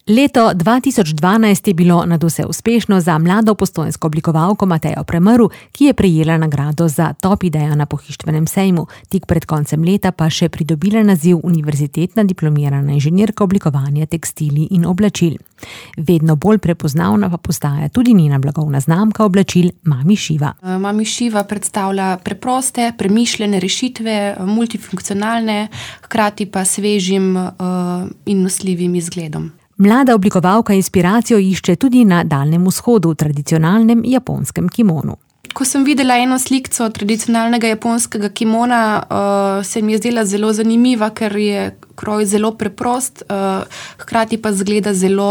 Leto 2012 je bilo nadvse uspešno za mlado postojnsko oblikovalko Matejo Premrl, ki je prejela nagrado za top idejo na pohištvenem sejmu, tik pred koncem leta pa še pridobila naziv univerzitetna diplomirana inženirka oblikovanja tekstilij in oblačil. Vedno bolj prepoznavna pa postaja tudi njena blagovna znamka oblačil Mami Šiva. Mami Šiva predstavlja preproste, premišljene rešitve, multifunkcionalne, hkrati pa svežim in nosljivim izgledom. Mlada oblikovalka inspiracijo išče tudi na Daljnem vzhodu, v tradicionalnem japonskem kimonu. Ko sem videla eno slikco tradicionalnega japonskega kimona, se mi je zdela zelo zanimiva, ker je kroj zelo preprost, hkrati pa izgleda zelo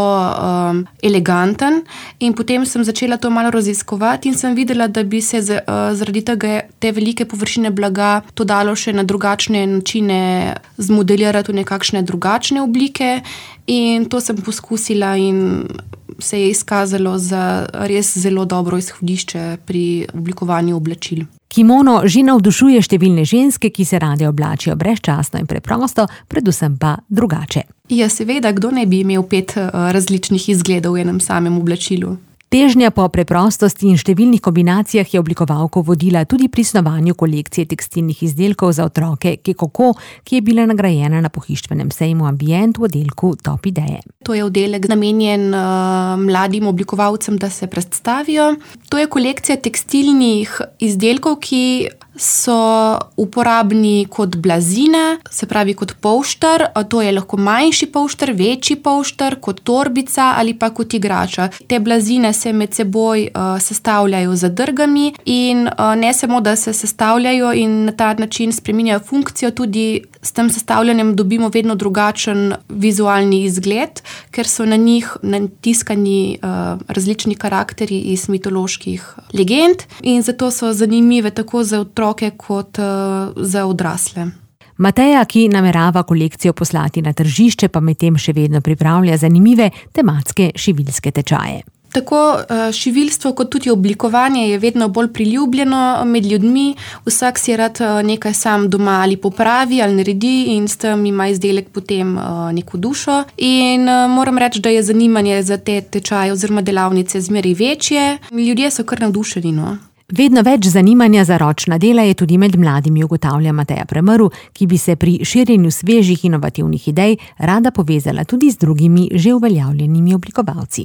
eleganten. In potem sem začela to malo raziskovati in sem videla, da bi se zaradi tega te velike površine blaga to dalo še na drugačne načine zmodelirati v nekakšne drugačne oblike. In to sem poskusila in se je izkazalo za res zelo dobro izhodišče pri oblikovanju oblačil. Kimono že navdušuje številne ženske, ki se rade oblačijo brezčasno in preprosto, predvsem pa drugače. Ja, seveda, kdo ne bi imel 5 različnih izgledov v enem samem oblačilu? Težnja po preprostosti in številnih kombinacijah je oblikovalko vodila tudi pri snovanju kolekcije tekstilnih izdelkov za otroke Kekoko, ki je bila nagrajena na pohištvenem sejmu Ambient v oddelku Top ideje. To je oddelek namenjen mladim oblikovalcem, da se predstavijo. To je kolekcija tekstilnih izdelkov, ki so uporabni kot blazine, se pravi kot polšter. To je lahko manjši polšter, večji polšter, kot torbica ali pa kot igrača. Te blazine se med seboj sestavljajo z zadrgami in ne samo, da se sestavljajo in na ta način spreminjajo funkcijo, tudi s tem sestavljanjem dobimo vedno drugačen vizualni izgled, ker so na njih natiskani različni karakteri iz mitoloških legend in zato so zanimive tako za otroke kot za odrasle. Mateja, ki namerava kolekcijo poslati na tržišče, pa medtem še vedno pripravlja zanimive tematske šiviljske tečaje. Tako šiviljstvo kot tudi oblikovanje je vedno bolj priljubljeno med ljudmi. Vsak si rad nekaj sam doma ali popravi ali naredi in s tem ima izdelek potem neko dušo. In moram reči, da je zanimanje za te tečaje oziroma delavnice zmeraj večje. Ljudje so kar navdušeni, no. Vedno več zanimanja za ročna dela je tudi med mladimi, ugotavlja Mateja Premrl, ki bi se pri širjenju svežih inovativnih idej rada povezala tudi z drugimi že uveljavljenimi oblikovalci.